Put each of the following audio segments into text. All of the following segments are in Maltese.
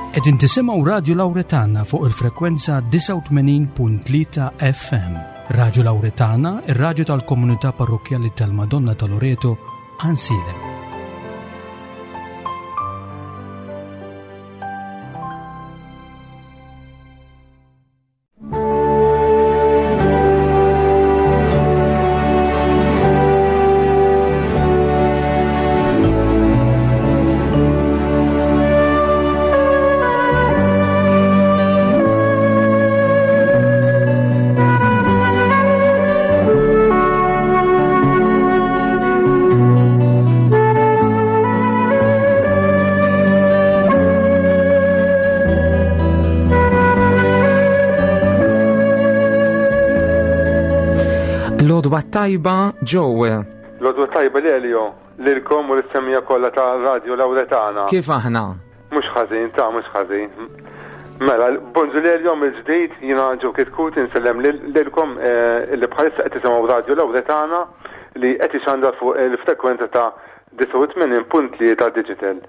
Qegħdin tisimgħu Radju Lawretana fuq il-frekwenza 89.3 FM. Radju Lawretana, ir-radju tal-komunità parrokkjali tal-Madonna ta' Loreto, Ansilem. Lodwa tajba Joe. Lodwa tajba Lelio, lilkom u l-semija kollha ta' Radio Lawretana. Kif aħna? Mhux ħażin, ta' mhux ħażin. Mela, bonġu Lelio mill-ġdid, jiena Joe Kitkut insellem lilkom eh, li bħalissa qed tisimgħu Radio Lawretana li qed ixandar fuq il-frekwenza ta' 89.3 Digital.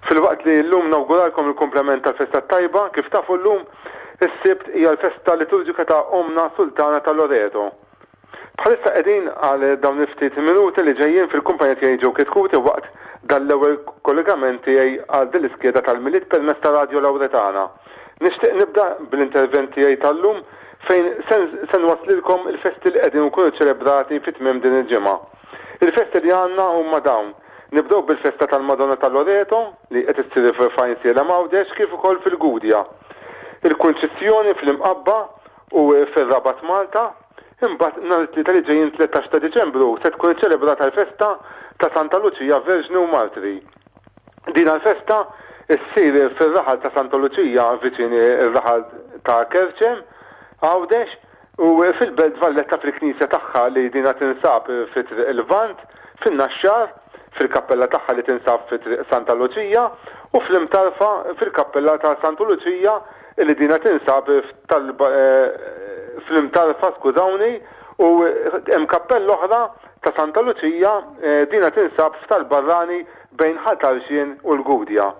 Filwaqt li llum nawguralkom il-kumplament tal-festa t-tajba, kif tafu llum is-Sibt hija l-festa liturġika ta' Ommna Sultana ta' Loreto. Bħalissa qegħdin għal dawn il-ftit minuti li ġejjin fil-kumpanija tiegħi Joe Chetcuti waqt dan l-ewwel kollegament tiegħi għal din l-iskeda tal-Milied permezz ta' Radio Lauretana. Nixtieq nibda bl-intervent tiegħi tal-lum fejn se nwasslilkom il-festi li qegħdin ikunu ċelebrati fi tmiem din il-ġimgħa. Il-festi li għandna huma dawn. Nibdew bil-festa tal-Madonna ta' Loreto li qed issir f'Għajnsielem Għawdex kif ukoll fil-Gudja. Il-Kunċizzjoni fl-Imqabba u fir-Rabat Malta. Imbagħad nhar it-Tlieta li ġejjin 13 ta' Diċembru se tkun iċċelebrata l-festa ta' Santa Luċija Verġni u Martri. Din l-festa ssir fir-raħal ta' Santa Luċija viċin ir-raħal ta' Kerċem, Għawdex, U fil-Belt Valletta fil-knisja tagħha li dinha tinsab fi Triq il-Lvant, fin-Naxxar, fil-kappella tagħha li tinsab fi Triq Santa Luċija, u fl-Imtarfa fil-kappella ta' Santu Luċija li dinha tinsab fl-Imtarfa, skużawni, u hemm kappella oħra ta' Santa Luċija dinha tinsab f'Tal-Barrani bejn Ħal Tarxien u l-Gudja.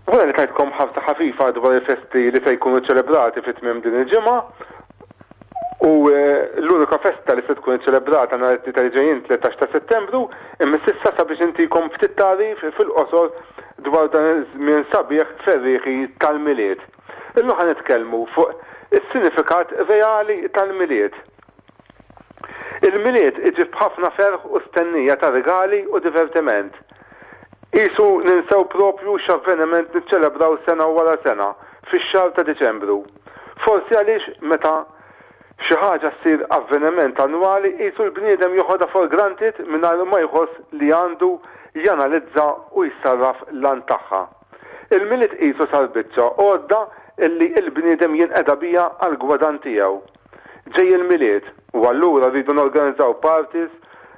Wara li tajtkom ħarsa ħafifa dwar il-festi li se jkunu ċelebrati fi tmiem din il-ġimgħa, u l-unika festa li se tkun iċċelebrata nhar it-Tlieta li ġejjin 13 ta' Settembru, imma s'issa sabiex intikom ftit tagħrif fil-qosor dwar dan iż-żmien sabiħ ferrieħi tal-Milied. Illum ħa nitkellmu fuq is-sinifikat reali tal-Milied. Il-Milied iġib ħafna ferħ u stennija ta' rigali u divertiment. Qisu ninsew proprju x'avveniment niċċelebraw sena wara sena fix-xahar ta' Diċembru. Forsi għaliex meta xi ħaġa ssir avveniment annwali qisu l-bniedem joħodha for granted mingħajr ma jħoss li għandu janalizza u jsarraf l-għan tagħha. Il-Milied qisu sar biċċa għodda illi l-bniedem jinqeda biha għall-gwadann tiegħu. Ġej il-Milied u allura rridu norganizzaw parties,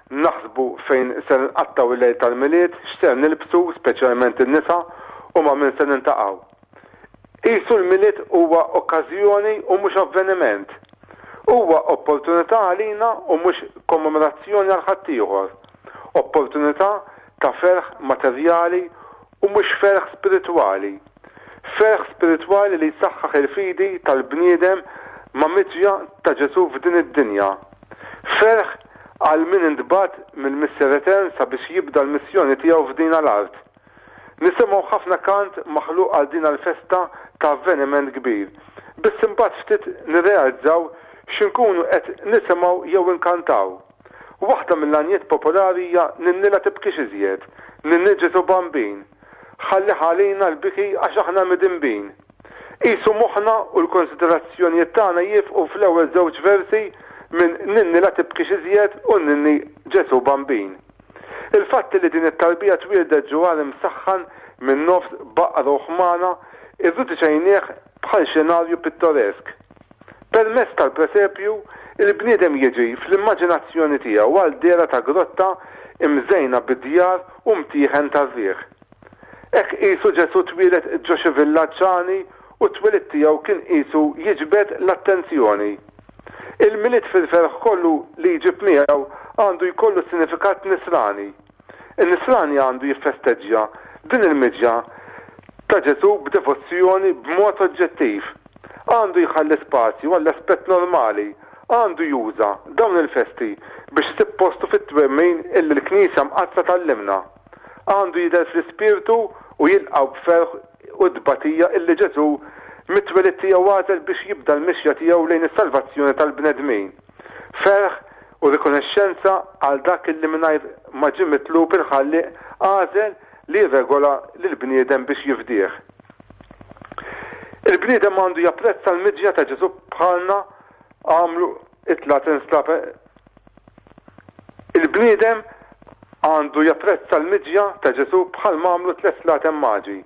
naħsbu fejn ser nqattgħu il-lejl tal-Milied, x'ser nilbsu, speċjalment in-nisa, u ma' min se nintaqgħu. Qisu l-Milied huwa okkażjoni u mhux avveniment. Huwa opportunità għalina u mhux kommemorazzjoni għal ħaddieħor. Opportunità ta' ferħ materjali u mhux ferħ spiritwali. Ferħ spiritwali li jsaħħaħ il-fidi tal-bniedem ma' miġja ta' Ġesù f'din id-dinja. Ferħ għal min intbagħat mill-Missier Etern sabiex jibda l-missjoni tiegħu f'dina l-art. Nisimgħu ħafna kant maħluq għal dina l-festa ta' avveniment kbir, biss imbagħad ftit nirrealizzaw x'inkunu qed nisimgħu jew inkantaw. Waħda mill-għanjiet popolari hija Ninni la tibkix iżjed, Ninni Ġesù Bambin. Ħallih għalina l-biki għax aħna midinbin. Qisu moħħna u l-konsiderazzjonijiet tagħna jiefqu fl-ewwel żewġ versi minn Ninni la tibkix iżjed u Ninni Ġesù Bambin. Il-fatt li din it-tarbija twieldet ġo għar imsaħħan minn nofs baqra u ħmana irriduċejnieh bħal xenarju pittoresk. Permezz tal-presepju, il-bniedem jiġi fl-immaġinazzjoni tiegħu għal dehra ta' grotta imżejna bi djar u mtieħen tar-riħ. Hekk qisu Ġesù twieled ġo xi villaġġ għani u t-twelid tiegħu kien qisu jiġbed l-attenzjoni. Il-Milied fil-ferħ kollu li jġib miegħu għandu jkollu sinifikat nisrani. In-nisrani għandu jiffesteġġja din il-miġja. ta' Ġesù b'devozzjoni b'mod oġġettiv. Għandu jħalli spazju għall-aspett normali, għandu juża dawn il-festi biex isib postu fit-twemmin illi l-Knisja Mqaddsa tgħallimna. Għandu jidher fl-ispirtu u jilqgħu b'ferħ u tbatija illi Ġesù mit-twelid tiegħu għażel biex jibda l-mixja tiegħu lejn is-salvazzjoni tal-bnedmin. Ferħ u rikonexxenza għal dak illi mingħajr ma ġie mitlub il-Ħallieq għażel li jirregola lill-bniedem biex jifdih. Il-bniedem għandu japprezza l-miġja ta' Ġesù bħalna għamlu it-tlatin Il-bniedem għandu japprezza l-miġja ta' Ġesù bħalma għamlu t-tlett slaten maġi.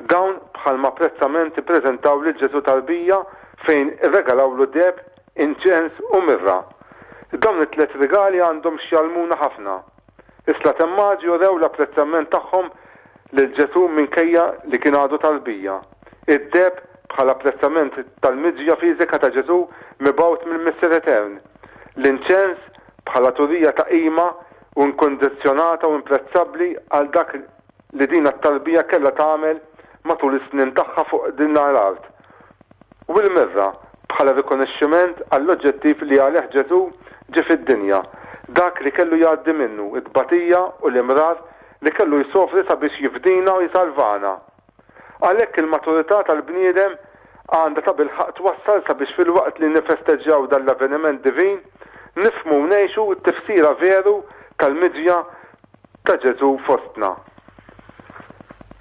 Dawn bħalma apprezzament ippreżentaw lil Ġesù tarbija fejn irregalawlu deheb, inċens u mirra. Dawn it-tlett rigali għandhom x'jgħallmuna ħafna. Is-slaten maġi urew l-apprezzament tagħhom lil Ġesù minkejja li kien għadu tarbija. Id-deheb bħala apprezzament tal-miġja fiżika ta' Ġesù mibgħut mill-Missier Etern. L-inċens bħala turija ta' qima u inkundizzjonata u imprezzabbli għal dak li din t-tarbija kellha tagħmel matul is-snin tagħha fuq din l-art. U l-mirra bħala rikonoxximent għall-oġġettiv li għalih Ġesù ġie fid-dinja, dak li kellu jgħaddi minnu, it-tbatija u l-imrar li kellu jsofri sabiex jifdina u jsalvana. Għalhekk il-maturità tal-bniedem għandha tabilħaqq twassal sabiex filwaqt li nifesteġġjaw dan l-avveniment divin, nifhmu u ngħixu t-tifsira veru tal-miġja ta' Ġesù fostna.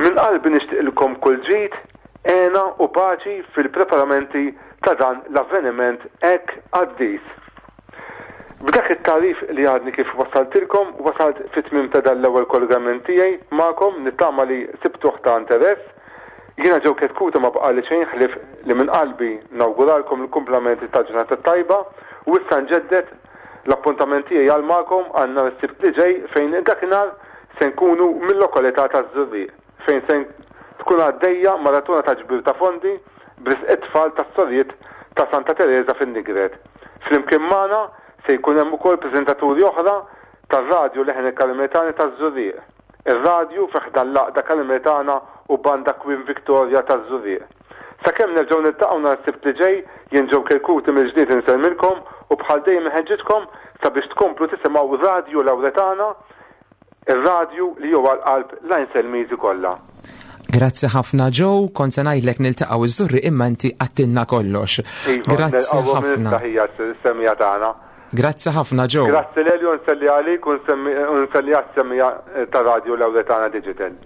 Minn qalbi nixtieqilkom kull ġid, hena u paċi fil-preparamenti ta' dan l-avveniment hekk qaddis. B'dak it-tagħrif li għadni kif wassaltilkom, wasalt fit-tmiem ta' dan l-ewwel kollegament tiegħi magħkom, nittama li sibtuh ta' interess. Jiena Joe Chetcuti ma baqagħli xejn ħlief li minn qalbi nawguralkom l-kumplament tal-ġurnata t-tajba u issa nġedded l-appuntament tiegħi għal magħkom għal nhar is-Sibt li ġej fejn dakinhar se nkunu mil-lokalità taż-Żurrieq. fejn se tkun għaddejja maratona ta' ġbir ta' fondi b'risq it-tfal tas-Sorijiet ta' Santa Tereża fin-Nigret. Flimkien magħna se jkun hemm ukoll preżentaturi oħra tar-radju Leħen il-Karmelitani taż-Żurrieq, ir-radju fi ħdan l-Għaqda Karmelitana u Banda Queen Victoria taż-Żurrieq. Sakemm nerġgħu niltaqgħu nhar is-Sibt li ġej, jien Joe Kerkuti mill-ġdid insellmilkom u bħal dejjem inħeġġiġkom sabiex tkomplu tisimgħu Radju Lawretana, Ir-radju li hu għal qalb l-Għajnselmiżi kollha. Grazzi ħafna Joe, kont se ngħidlek niltaqgħu iż-żurri imma inti għattilna kollox. Iva, Grazzi ħafna. Hija s-semija tagħna. Grazzi ħafna Joe. Grazzi Lelio nselli għalik u nselli għas-semija ta' Radio Lawretana Digital.